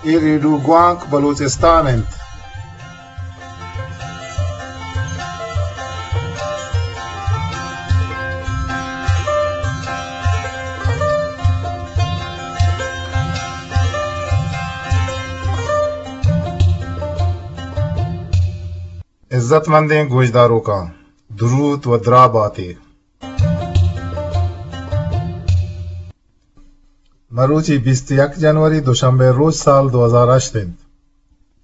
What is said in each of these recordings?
اے ریڈیو گوانک بلوچستان انت۔ عزت مندیں گوشداروکاں، دروت و دراہ باتے۔ مروچی بیست یک جنوری، دوشنبے روچ، سال دو ہزار ہشت انت۔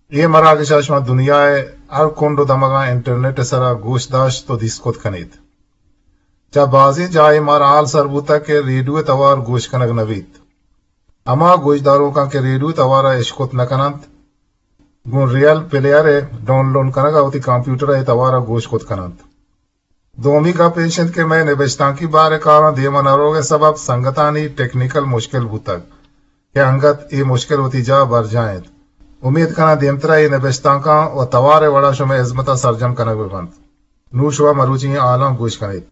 اے مراگش ء شما دنیا ء ہر کنڈ و دمگاں انٹرنیٹ ء سرا گوش داشت و دیست کت کنیت۔ چہ بازیں جاہے مارا حال سر بوتگ کہ ریڈیو ء توار گوش کنگ نہ بیت۔ ہما گوشداروکاں کہ ریڈیو ء توار ء اشکت نہ کننت، گوں ریئل پلیئر ء ڈاؤنلوڈ کنگ ء وتی کمپیوٹر ء اے توار ء گوش کت کننت۔ دومی گپ ایش انت کہ مئے نبشتانکی بار ء کاراں دیم ء نہ روگ ء سبب سنگتانی ٹیکنیکل مشکل بوتگ کہ انگت اے مشکل وتی جاہ ء برجاہ انت۔ امیت کناں دیمترا اے نبشتانکاں و توار ء وڑا شمئے ہزمت ء سرجم کنگ بہ بنت۔ نوں شما مروچی ایں حالاں گوش کنیت۔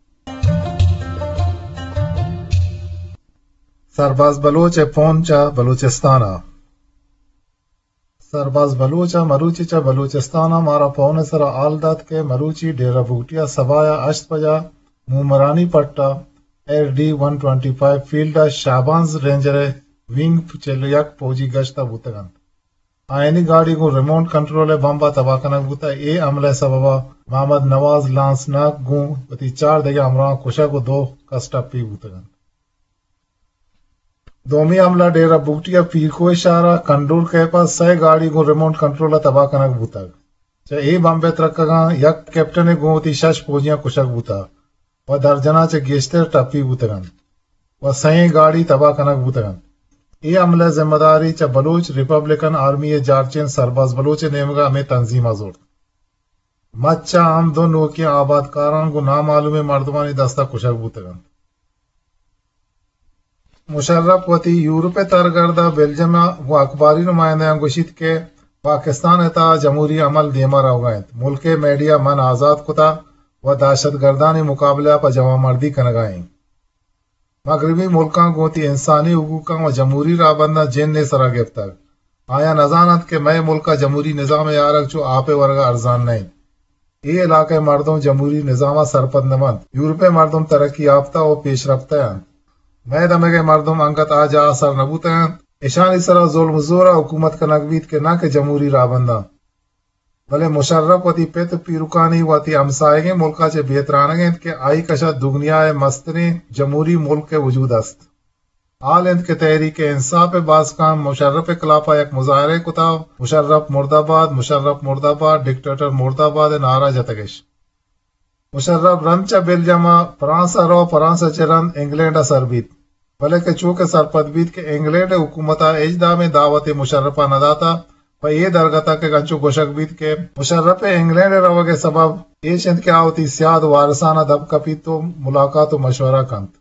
سرباز بلوچ ء پون چہ بلوچستان ء۔ سرباز بلوچ ء مروچی چہ بلوچستان ء مارا پون ء سرا حال دات کہ مروچی ڈیرہ بگٹی ء سباہ ء ہشت بجا مومرانی پٹ ء ایف ڈی ون ٹوئنٹی فائیو فیلڈ ء شہبانز رینجر ء ونگ چل ء یک پوجی گشت ء بوتگ انت۔ آیانی گاڑی گوں ریموٹ کنٹرول ء بمب ء تباہ کنگ بوتگ۔ اے حملہ ء سبب ء محمد نواز لانس ناک گوں وتی چار دگہ ہمراہاں کشگ و دو کس ٹپی بوتگ انت۔ دومی حملہ ڈیرہ بگٹی ء پیرکوہ شہر ء کنڈول کیپ ء سئے گاڑی گوں ریموٹ کنٹرول ء تباہ کنگ بوتگ۔ چہ اے بمب ء ترکگاں یک کیپٹن ء گوں وتی شش پوجیاں کشگ بوتگ و درجناں چہ گیشتر ٹپی بوتگ انت و سئیں گاڑی تباہ کنگ بوتگ انت۔ اے حملہ ء ذمہ داری چہ بلوچ ریپبلکن آرمی ء جارچین سرباز بلوچ ء نیمگ ء ہمے تنظیم ء زرت۔ مچ ء ہم دو نوکیں آبادکاراں گوں نامعلومیں مردمانی دست ء کشگ بوتگ انت۔ مشرف وتی یورپ ء ترگرد ء بلجم ء گوں اخباری نمائندہاں گوشیت کہ پاکستان ء تہا جمہوری عمل دیما روگا انت، ملک ء میڈیا من آزاد کتا و دہشت گردانی مقابلہ ء پہ جوانمردی کنگا ایں۔ مغربی ملکاں گوں وتی انسانی حقوقاں و جمہوری راہبنداں جن ء سرا گپتگ۔ آیاں نزاننت کہ مئے ملک ء جمہوری نظام ء آرگ چو آپ ء ورگ ء ارزان نہ انت۔ اے علاقہ ء مردم جمہوری نظام ء سرپد نہ بنت۔ یورپ ء مردم ترقی یافتہ و پیشرفتہ انت۔ مئے دمگ ء مردم انگت آ جاہ ء سر نہ بوتگ انت۔ اشانی سرا ظلم و زور ء حکومت کنگ بیت کہ نہ کہ جمہوری راہبنداں۔ بلے مشرف وتی پت ء پیرکانی وتی ہمساہگیں ملک ء چہ بے ترانگ انت کہ آئی کش ء دگنیا ء مستریں جمہوری ملک ء وجود است۔ حال انت کہ تحریک انصاف ء باسکاں مشرف ء خلاف ء یک مظاہرہ کتا، مشرف مردہ باد، مشرف مردہ باد، ڈکٹیٹر مردہ باد ء نعرہ جتگش۔ مشرف رند چہ بلجم ء فرانس ء رو، فرانس ء چہ رند انگلینڈ ء سر بیت، بلے کہ چو کہ سرپد بیت کہ انگلینڈ ء حکومت ء ہچ دامیں دعوتے مشرف ء نہ داتہ، پہ اے درگت ء کہ انچو گوشگ بیت کہ مشرف ء انگلینڈ ء روگ ء سبب ایش انت کہ آ وتی سیاد وارثان ء دپ کپیت و ملاقات و مشورہ کنت۔